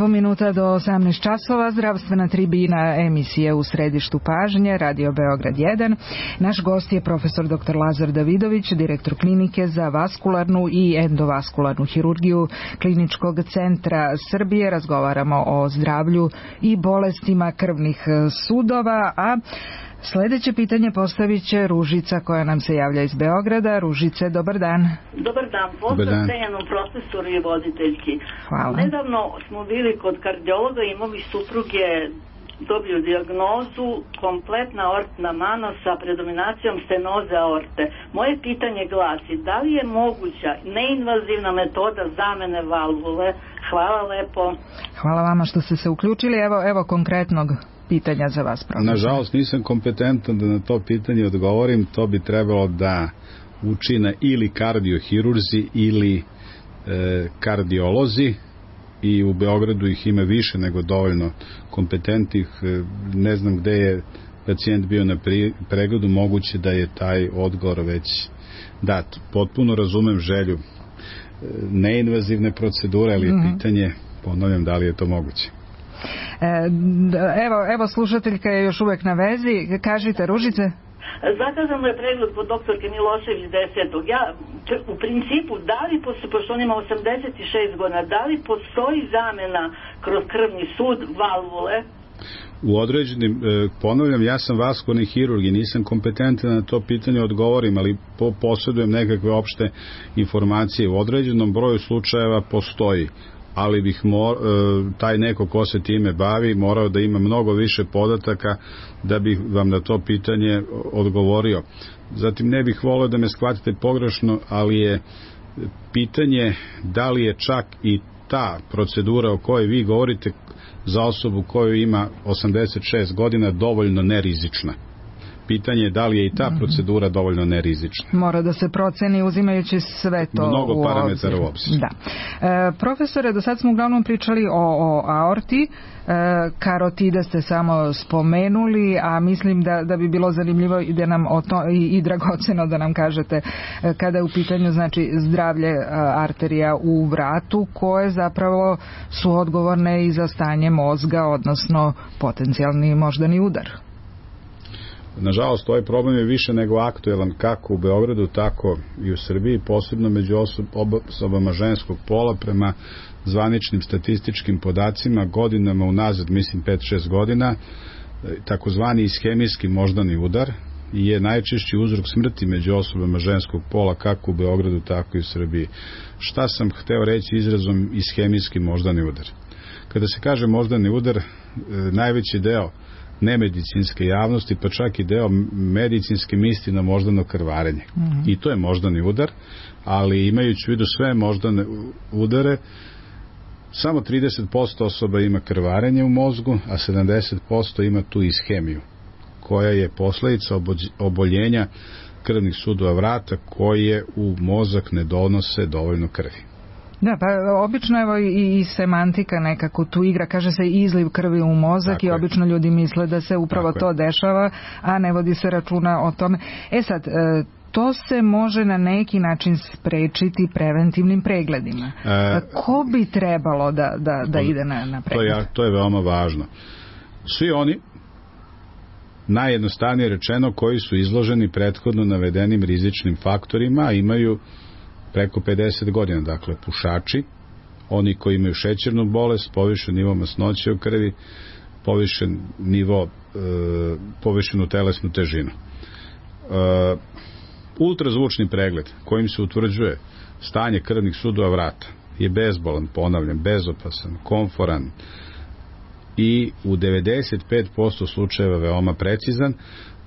minuta do 18 časova, zdravstvena tribina emisije u središtu pažnje, Radio Beograd 1. Naš gost je profesor dr. Lazar Davidović, direktor klinike za vaskularnu i endovaskularnu hirurgiju Kliničkog centra Srbije. Razgovaramo o zdravlju i bolestima krvnih sudova, a sljedeće pitanje postavit će Ružica koja nam se javlja iz Beograda. Ružice, dobar dan. Dobar dan, pozdrav cenjenom profesoru i voditeljki. Hvala. Nedavno smo bili kod kardiologa i moji supruge dobiju dijagnozu kompletna aortna mano sa predominacijom stenoze aorte. Moje pitanje glasi, da li je moguća neinvazivna metoda zamene valvule? Hvala lepo. Hvala vama što ste se uključili. Evo konkretnog pitanja za vas, profesor. Nažalost nisam kompetentan da na to pitanje odgovorim. To bi trebalo da učine ili kardiohirurzi ili kardiolozi i u Beogradu ih ima više nego dovoljno kompetentnih. Ne znam gde je pacijent bio na pregledu, moguće da je taj odgovor već dat. Potpuno razumem želju neinvazivne procedure, ali je pitanje, ponavljam, da li je to moguće. Evo slušateljka je još uvek na vezi. Kažite, Ružice. Zakazan mu je pregled kod doktorke Milošević 10. Ja, u principu, da li, pošto on ima 86 godina, da li postoji zamena kroz krvni sud valvule? U određenim, ponavljam, ja sam vaskularni hirurg i nisam kompetentan na to pitanje odgovorim, ali posjedujem nekakve opšte informacije. U određenom broju slučajeva postoji, ali bih taj neko ko se time bavi morao da ima mnogo više podataka da bih vam na to pitanje odgovorio. Zatim ne bih volio da me shvatite pogrešno, ali je pitanje da li je čak i ta procedura o kojoj vi govorite za osobu koju ima 86 godina dovoljno nerizična. Pitanje je da li je i ta procedura dovoljno nerizična. Mora da se proceni uzimajući sve to mnogo parametara u obzir. Da. Profesore, do sad smo uglavnom pričali o aorti, karotide ste samo spomenuli, a mislim da bi bilo zanimljivo da nam i dragoceno da nam kažete kada je u pitanju znači zdravlje arterija u vratu, koje zapravo su odgovorne i za stanje mozga, odnosno potencijalni moždani udar. Nažalost, ovaj problem je više nego aktuelan kako u Beogradu, tako i u Srbiji, posebno među osobama ženskog pola. Prema zvaničnim statističkim podacima godinama unazad, mislim 5-6 godina, takozvani ishemijski moždani udar je najčešći uzrok smrti među osobama ženskog pola kako u Beogradu, tako i u Srbiji. Šta sam hteo reći izrazom ishemijski moždani udar? Kada se kaže moždani udar, najveći deo nemedicinske javnosti, pa čak i deo medicinske misli na moždano krvarenje. I to je moždani udar, ali imajući u vidu sve moždane udare, samo 30% osoba ima krvarenje u mozgu, a 70% ima tu ishemiju, koja je posledica oboljenja krvnih sudova vrata koje u mozak ne donose dovoljno krvi. Da, pa obično evo i semantika nekako tu igra, kaže se izliv krvi u mozak. Tako i obično ljudi misle da se upravo to dešava, a ne vodi se računa o tome. Sad, to se može na neki način sprečiti preventivnim pregledima. Ko bi trebalo da ide na pregled? To je veoma važno. Svi oni, najjednostavnije rečeno, koji su izloženi prethodno navedenim rizičnim faktorima, imaju preko 50 godina, dakle pušači, oni koji imaju šećernu bolest, povišen nivo masnoće u krvi, povišenu telesnu težinu. Ultrazvučni pregled kojim se utvrđuje stanje krvnih sudova vrata je bezbolan, ponavljam, bezopasan, komforan i u 95% slučajeva veoma precizan,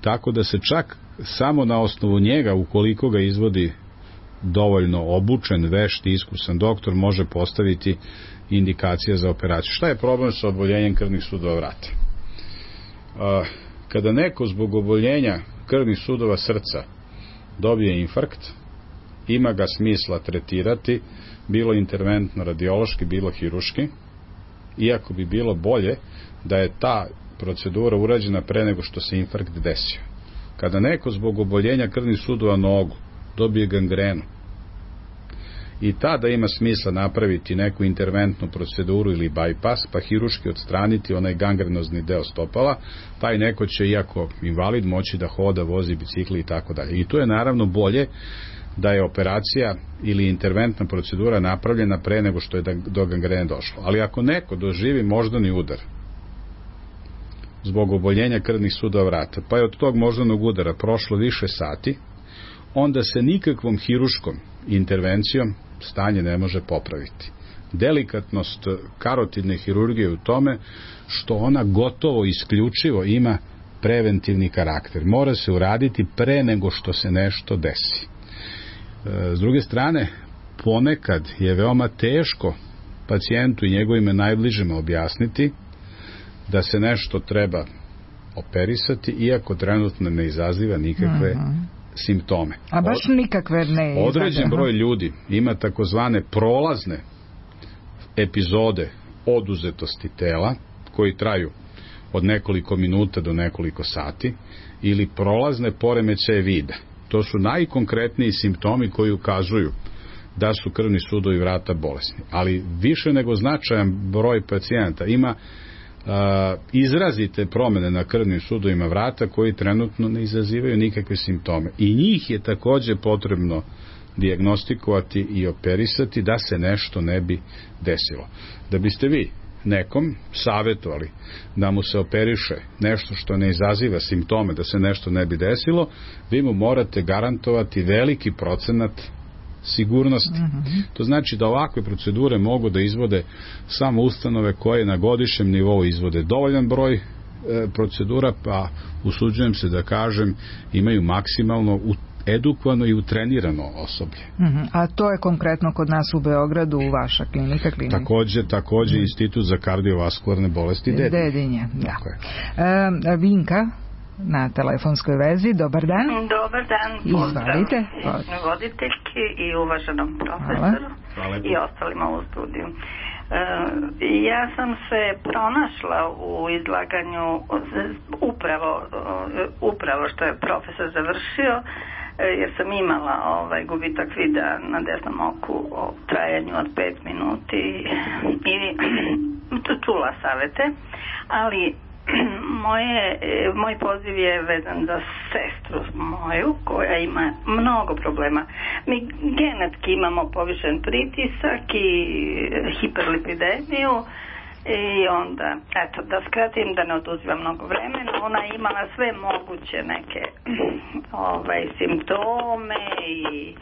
tako da se čak samo na osnovu njega, ukoliko ga izvodi dovoljno obučen, vešt i iskusan doktor, može postaviti indikacija za operaciju. Šta je problem sa oboljenjem krvnih sudova vrata? Kada neko zbog oboljenja krvnih sudova srca dobije infarkt, ima ga smisla tretirati, bilo interventno radiološki, bilo hiruški, iako bi bilo bolje da je ta procedura urađena pre nego što se infarkt desio. Kada neko zbog oboljenja krvnih sudova nogu dobije gangrenu i tada ima smisla napraviti neku interventnu proceduru ili bypass, pa hiruški odstraniti onaj gangrenozni deo stopala, taj neko će, iako invalid, moći da hoda, vozi bicikli i tako dalje. I to je naravno bolje da je operacija ili interventna procedura napravljena pre nego što je do gangrene došlo. Ali ako neko doživi moždani udar zbog oboljenja krvnih sudova vrata, pa je od tog moždanog udara prošlo više sati, onda se nikakvom hiruškom intervencijom stanje ne može popraviti. Delikatnost karotidne hirurgije u tome što ona gotovo isključivo ima preventivni karakter. Mora se uraditi pre nego što se nešto desi. S druge strane, ponekad je veoma teško pacijentu i njegovime najbližima objasniti da se nešto treba operisati, iako trenutno ne izaziva nikakve simptome. A baš nikakve ne izaziva. Određen broj ljudi ima takozvane epizode oduzetosti tela koji traju od nekoliko minuta do nekoliko sati ili prolazne poremećaje vida. To su najkonkretniji simptomi koji ukazuju da su krvni sudovi vrata bolesni. Ali više nego značajan broj pacijenata ima izrazite promene na krvnim sudovima vrata koji trenutno ne izazivaju nikakve simptome. I njih je takođe potrebno dijagnostikovati i operisati da se nešto ne bi desilo. Da biste vi nekom savjetovali da mu se operiše nešto što ne izaziva simptome, da se nešto ne bi desilo, vi mu morate garantovati veliki procenat sigurnosti. To znači da ovakve procedure mogu da izvode samo ustanove koje na godišnjem nivou izvode dovoljan broj procedura, pa usuđujem se da kažem imaju maksimalno edukovano i utrenirano osoblje. A to je konkretno kod nas u Beogradu, u vaša klinika? Takođe Institut za kardiovaskularne bolesti Dedinje. Da. Vinka na telefonskoj vezi. Dobar dan. Dobar dan. Izvalite. Voditeljki i uvaženom profesoru. Hvala. I ostalima u studiju. Ja sam se pronašla u izlaganju upravo što je profesor završio, jer sam imala gubitak vida na desnom oku o trajanju od 5 minuti i čula savete, ali moj poziv je vezan za sestru moju koja ima mnogo problema. Mi genetski imamo povišen pritisak i hiperlipidemiju i onda, eto, da skratim, da ne oduzima mnogo vremena, ona je imala sve moguće neke simptome i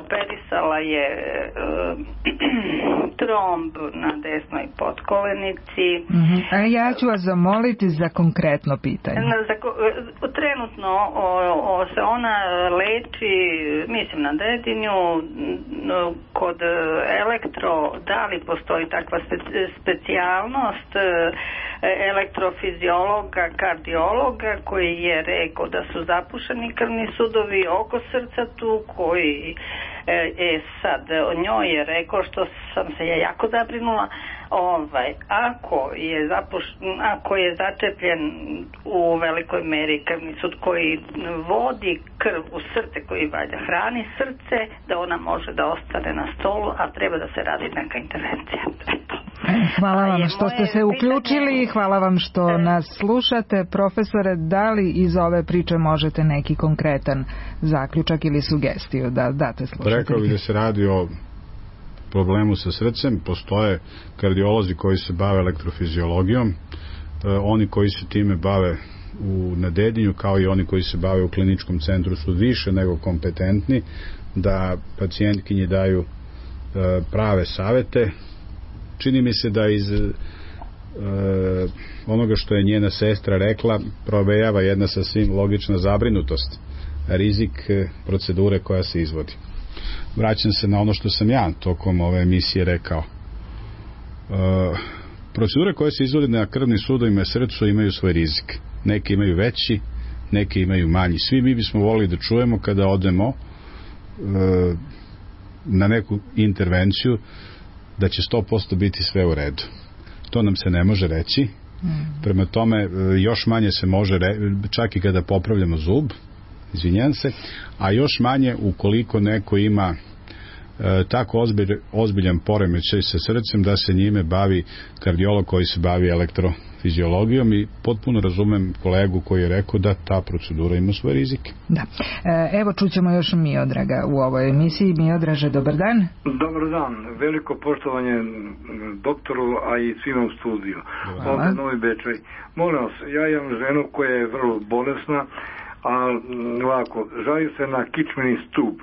operisala je tromb na desnoj potkolenici. Ja ću vas zamoliti za konkretno pitanje. Trenutno se ona leči, mislim na Dedinju, kod da li postoji takva specijalnost elektrofiziologa, kardiologa koji je rekao da su zapušeni krvni sudovi oko srca tu, koji sad o njoj je rekao, što sam se ja jako zabrinula, ako je začepljen u velikoj meri krvni sud koji vodi krv u srce, koji valja hrani srce, da ona može da ostane na stolu, a treba da se radi neka intervencija. Hvala vam što ste se uključili i hvala vam što nas slušate. Profesore, da li iz ove priče možete neki konkretan zaključak ili sugestiju da date slušatelji? Rekao bih da se radi o problemu sa srcem. Postoje kardiolozi koji se bave elektrofiziologijom, oni koji se time bave na Dedinju, kao i oni koji se bave u kliničkom centru, su više nego kompetentni da pacijentkinji daju prave savete. Čini mi se da iz onoga što je njena sestra rekla provejava jedna sasvim logična zabrinutost, rizik procedure koja se izvodi. Vraćam se na ono što sam ja tokom ove emisije rekao. Procedure koje se izvode na krvnim sudovima i srcu imaju svoj rizik. Neki imaju veći, neki imaju manji. Svi mi bismo volili da čujemo kada odemo na neku intervenciju da će 100% biti sve u redu. To nam se ne može reći. Prema tome, još manje se može čak i kada popravljamo zub, izvinjam se, a još manje ukoliko neko ima tako ozbiljan poremećaj sa srcem da se njime bavi kardiolog koji se bavi elektrofiziologijom, i potpuno razumem kolegu koji je rekao da ta procedura ima svoje rizike. Da. Evo čućemo još Miodraga u ovoj emisiji. Miodraže, dobar dan. Dobar dan. Veliko poštovanje doktoru, a i svima u studiju. Ovdje Novi Bečej. Molim vas, ja imam ženu koja je vrlo bolesna, a ovako, žali se na kičmeni stup.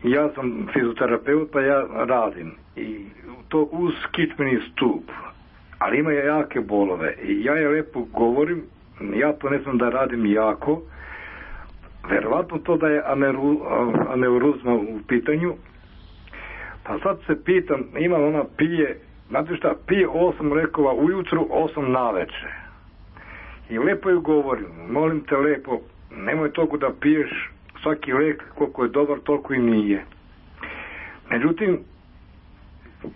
Ja sam fizioterapeut, pa ja radim i to uz kičmeni stup, ali ima jake bolove i ja je lepo govorim, ja to ne znam da radim jako, verovatno to da je aneuruzma u pitanju, pa sad se pitam, ima ona pije, znate šta, pije 8 lekova ujutru, 8 naveče i lepo ju govorim, molim te lepo, nemoj toliko da piješ svaki lek, koliko je dobar, toliko i nije. Međutim,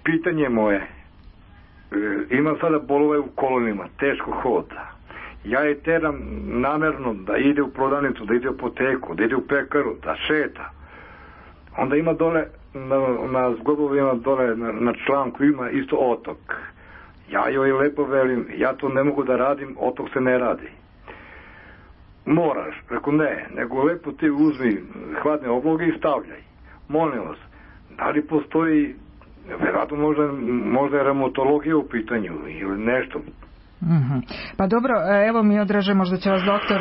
pitanje moje, imam sada bolove u kolonima, teško hoda. Ja je teram namerno da ide u prodavnicu, da ide u apoteku, da ide u pekaru, da šeta. Onda ima dole, na zglobovima dole, na članku ima isto otok. Ja joj lepo velim, ja to ne mogu da radim, otok se ne radi. Moraš, rekao ne, nego lepo ti uzmi hladne obloge i stavljaj. Molim vas, da li postoji, vjerojatno možda je reumatologija u pitanju ili nešto. Pa dobro, evo mi odraže, možda će vas doktor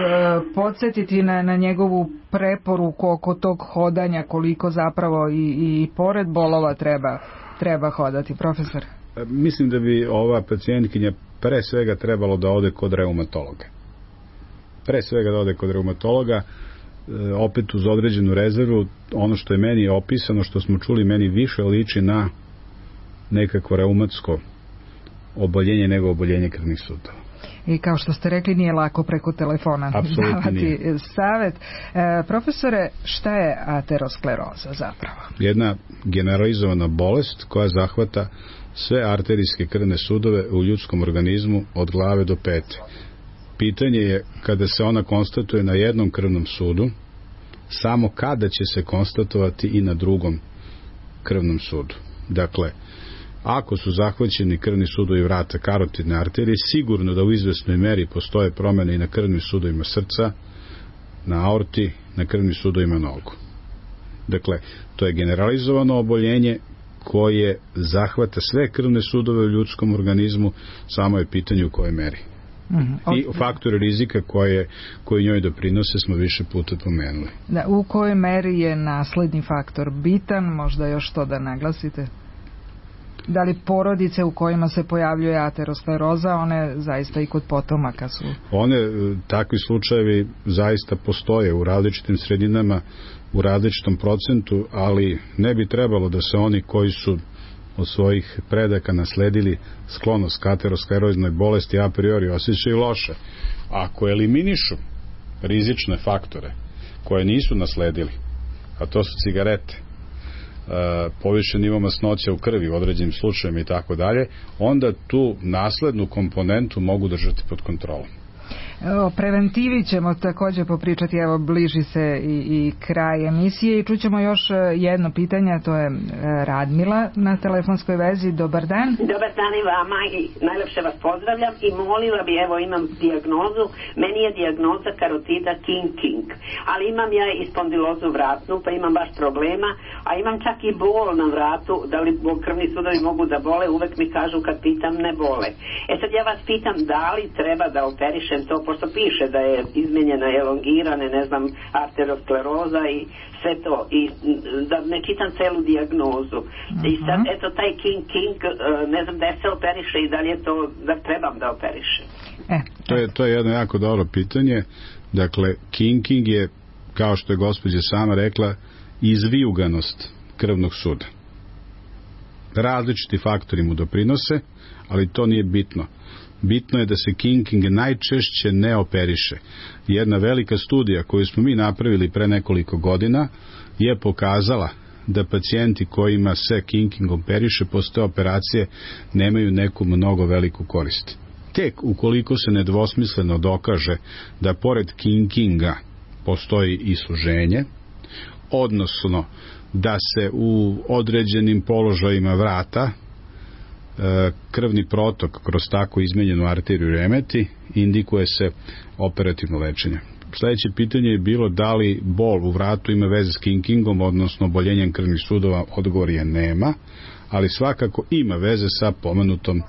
podsjetiti na njegovu preporuku oko tog hodanja, koliko zapravo i pored bolova treba hodati, profesor. Mislim da bi ova pacijentkinja pre svega trebalo da ode kod reumatologa. Opet uz određenu rezervu, ono što je meni opisano, što smo čuli, meni više liči na nekako reumatsko oboljenje nego oboljenje krvnih sudova. I kao što ste rekli, nije lako preko telefona davati savjet. Profesore, šta je ateroskleroza zapravo? Jedna generalizovana bolest koja zahvata sve arterijske krvne sudove u ljudskom organizmu od glave do pete. Pitanje je, kada se ona konstatuje na jednom krvnom sudu, samo kada će se konstatovati i na drugom krvnom sudu. Dakle, ako su zahvaćeni krvni sudovi vrata karotidne arterije, sigurno da u izvesnoj meri postoje promjene i na krvnim sudovima srca, na aorti, na krvnim sudovima nogu. Dakle, to je generalizovano oboljenje koje zahvata sve krvne sudove u ljudskom organizmu, samo je pitanje u kojoj meri. I faktori rizika koji njoj doprinose smo više puta pomenuli. Da, u kojoj meri je nasledni faktor bitan, možda još to da naglasite? Da li porodice u kojima se pojavljuje ateroskleroza, one zaista i kod potomaka su? Takvi slučajevi zaista postoje u različitim sredinama, u različitom procentu, ali ne bi trebalo da se oni koji su od svojih predaka nasledili sklonost ka ateroskleroznoj bolesti a priori osjećaju loše. Ako eliminišu rizične faktore koje nisu nasledili, a to su cigarete, povišen nivo masnoća u krvi u određenim slučajima i tako dalje, onda tu naslednu komponentu mogu držati pod kontrolom. O preventivi ćemo također popričati, evo bliži se i kraj emisije i čućemo još jedno pitanje, to je Radmila na telefonskoj vezi. Dobar dan. Dobar dan i vama i najlepše vas pozdravljam i molila bi, evo imam dijagnozu, meni je dijagnoza karotida King, ali imam ja i spondilozu vratnu, pa imam baš problema, a imam čak i bol na vratu, da li krvni sudovi mogu da bole, uvek mi kažu kad pitam ne bole. Sad ja vas pitam da li treba da operišem to, pošto piše da je izmenjena, elongirane, ne znam, arterioskleroza i sve to, i da ne čitam celu dijagnozu. I sad, eto, taj King, ne znam da se operiše i da li je to, da trebam da operišem. To je jedno jako dobro pitanje. Dakle, King je, kao što je gospođa sama rekla, izvijuganost krvnog suda. Različiti faktori mu doprinose, ali to nije bitno. Bitno je da se King najčešće ne operiše. Jedna velika studija koju smo mi napravili pre nekoliko godina je pokazala da pacijenti kojima se King operiše posle operacije nemaju neku mnogo veliku korist. Tek ukoliko se nedvosmisleno dokaže da pored Kinga postoji i suženje, odnosno da se u određenim položajima vrata krvni protok kroz tako izmenjenu arteriju remeti, indikuje se operativno lečenje. Sljedeće pitanje je bilo da li bol u vratu ima veze s Kingom, odnosno oboljenjem krvnih sudova. Odgovor je nema, ali svakako ima veze sa pomenutom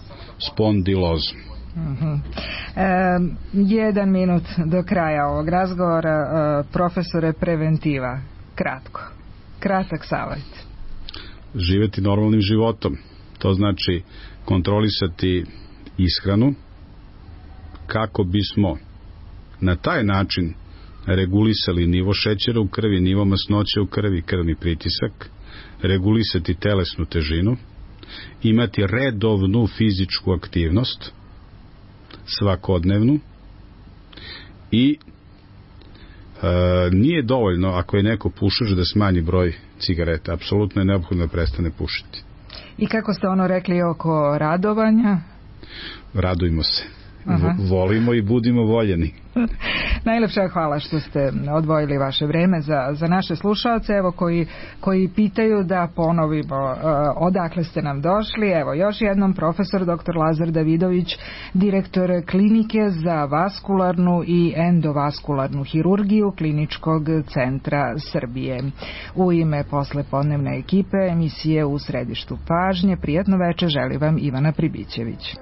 spondilozom. 1 minut do kraja ovog razgovora. Profesore, preventiva, kratak savjet. Živeti normalnim životom, to znači kontrolisati ishranu kako bismo na taj način regulisali nivo šećera u krvi, nivo masnoće u krvi, krvni pritisak, regulisati telesnu težinu, imati redovnu fizičku aktivnost, svakodnevnu, i Nije dovoljno ako je neko pušač da smanji broj cigareta. Apsolutno je neophodno da prestane pušiti. I kako ste rekli oko radovanja? Radujmo se. Volimo i budimo voljeni. Najlepša hvala što ste odvojili vaše vreme za naše slušaoce, evo koji pitaju, da ponovimo odakle ste nam došli. Evo još jednom, profesor dr. Lazar Davidović, direktor klinike za vaskularnu i endovaskularnu hirurgiju Kliničkog centra Srbije. U ime poslepodnevne ekipe emisije U središtu pažnje, prijatno veče želi vam Ivana Pribićević.